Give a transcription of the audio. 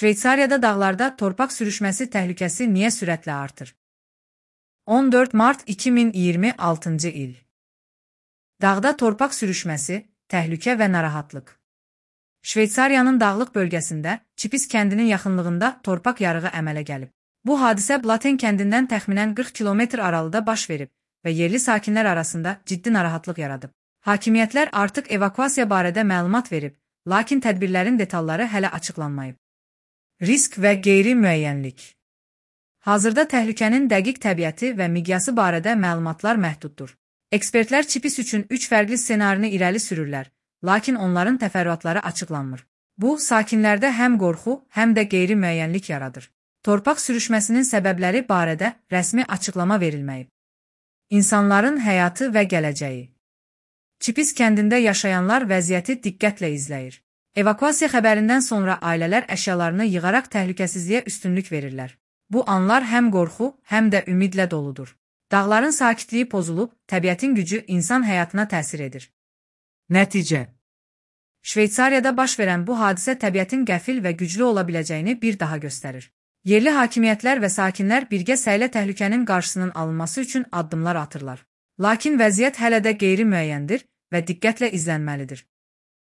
Şveysariyada dağlarda torpaq sürüşməsi təhlükəsi niyə sürətlə artır? 14 mart 2026-cı il. Dağda torpaq sürüşməsi, təhlükə və narahatlıq. Şveysariyanın dağlıq bölgəsində, Çipis kəndinin yaxınlığında torpaq yarığı əmələ gəlib. Bu hadisə Blaten kəndindən təxminən 40 kilometr aralıda baş verib və yerli sakinlər arasında ciddi narahatlıq yaradıb. Hakimiyyətlər artıq evakuasiya barədə məlumat verib, lakin tədbirlərin detalları hələ açıqlanmayıb. Risk və qeyri-müəyyənlik. Hazırda təhlükənin dəqiq təbiəti və miqyası barədə məlumatlar məhduddur. Ekspertlər Çipis üçün 3 fərqli ssenarini irəli sürürlər, lakin onların təfərrüatları açıqlanmır. Bu, sakinlərdə həm qorxu, həm də qeyri-müəyyənlik yaradır. Torpaq sürüşməsinin səbəbləri barədə rəsmi açıqlama verilməyib. İnsanların həyatı və gələcəyi. Çipis kəndində yaşayanlar vəziyyəti diqqətlə izləyir. Evakuasiya xəbərindən sonra ailələr əşyalarını yığaraq təhlükəsizliyə üstünlük verirlər. Bu anlar həm qorxu, həm də ümidlə doludur. Dağların sakitliyi pozulub, təbiətin gücü insan həyatına təsir edir. Nəticə. Şveysariyada baş verən bu hadisə təbiətin qəfil və güclü ola biləcəyini bir daha göstərir. Yerli hakimiyyətlər və sakinlər birgə səylə təhlükənin qarşısının alınması üçün addımlar atırlar. Lakin vəziyyət hələ də qeyri-müəyyəndir və diqqətlə izlənməlidir.